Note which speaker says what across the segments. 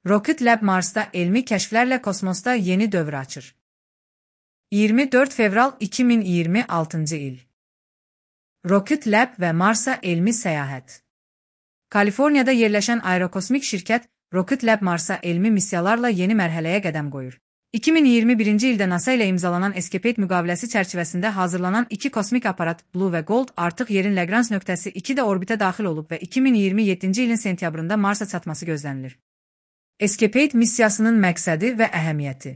Speaker 1: Rocket Lab Mars'ta elmi keşflerle kosmosta yeni dövr açır. 24 Fevral 2026 il. Rocket Lab ve Mars'a elmi seyahat. Kaliforniyada yerleşen aerokosmik şirket, Rocket Lab Mars'a elmi missiyalarla yeni mərhələyə qədəm qoyur. 2021 ildə NASA ile imzalanan Escapade müqaviləsi çərçivəsində hazırlanan iki kosmik aparat Blue ve Gold artıq yerin Lagrange nöqtəsi 2-də orbitə daxil olub və 2027 ilin sentyabrında Marsa çatması gözlənilir. Escapade missiyasının məqsədi və əhəmiyyəti.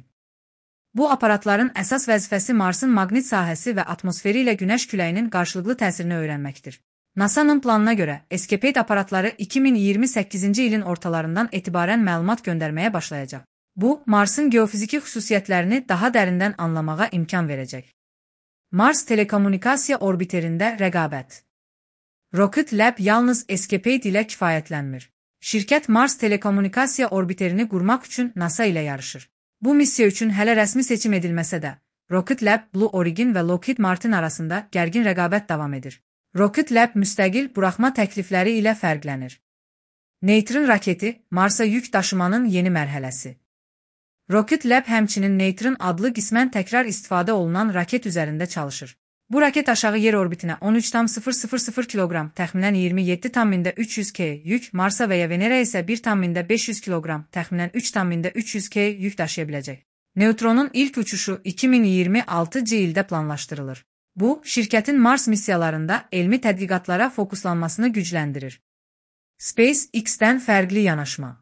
Speaker 1: Bu aparatların əsas vəzifəsi Marsın maqnit sahəsi və atmosferi ilə Günəş küləyinin qarşılıqlı təsirini öyrənməkdir. NASA'nın planına görə Escapade aparatları 2028 ilin ortalarından etibarən məlumat göndərməyə başlayacaq. Bu, Marsın geofiziki xüsusiyyətlərini daha dərindən anlamağa imkan verəcək. Mars telekommunikasiya orbiterində rəqabət. Rocket Lab yalnız Escapade ilə kifayətlənmir. Şirkət Mars telekommunikasiya orbiterini qurmaq üçün NASA ilə yarışır. Bu missiya üçün hələ rəsmi seçim edilməsə də, Rocket Lab, Blue Origin və Lockheed Martin arasında gərgin rəqabət davam edir. Rocket Lab müstəqil buraxma təklifləri ilə fərqlənir. Neutron raketi, Marsa yük daşımanın yeni mərhələsi. Rocket Lab həmçinin Neutron adlı qismən təkrar istifadə olunan raket üzərində çalışır. Bu raket aşağı yer orbitinə 13,000 kiloqram, təxminən 27,300 k yük, Marsa və ya Venera isə 1,500 kiloqram, təxminən 3,300 k yük daşıya biləcək. Neutronun ilk uçuşu 2026 ildə planlaşdırılır. Bu, şirkətin Mars missiyalarında elmi tədqiqatlara fokuslanmasını gücləndirir. SpaceX-dən fərqli yanaşma.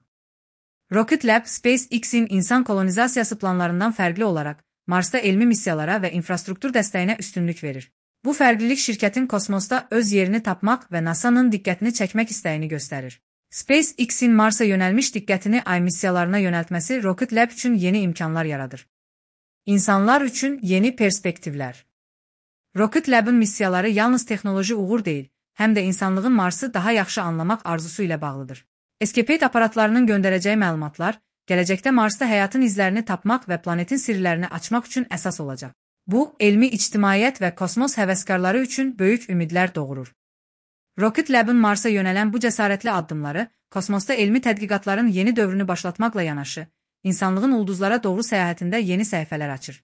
Speaker 1: Rocket Lab, SpaceX-in insan kolonizasiyası planlarından fərqli olaraq, Marsda elmi missiyalara və infrastruktur dəstəyinə üstünlük verir. Bu fərqlilik şirkətin kosmosda öz yerini tapmaq və NASA'nın diqqətini çəkmək istəyini göstərir. SpaceX-in Marsa yönəlmiş diqqətini ay missiyalarına yönəltməsi Rocket Lab üçün yeni imkanlar yaradır. İnsanlar üçün yeni perspektivlər. Rocket Lab'ın missiyaları yalnız texnoloji uğur deyil, həm də insanlığın Mars'ı daha yaxşı anlamaq arzusu ilə bağlıdır. Escapade aparatlarının göndərəcəyi məlumatlar, gələcəkdə Marsda həyatın izlərini tapmaq və planetin sirlərini açmaq üçün əsas olacaq. Bu, elmi ictimaiyyət və kosmos həvəskarları üçün böyük ümidlər doğurur. Rocket Lab'ın Marsa yönələn bu cəsarətli addımları, kosmosda elmi tədqiqatların yeni dövrünü başlatmaqla yanaşı, insanlığın ulduzlara doğru səyahətində yeni səhifələr açır.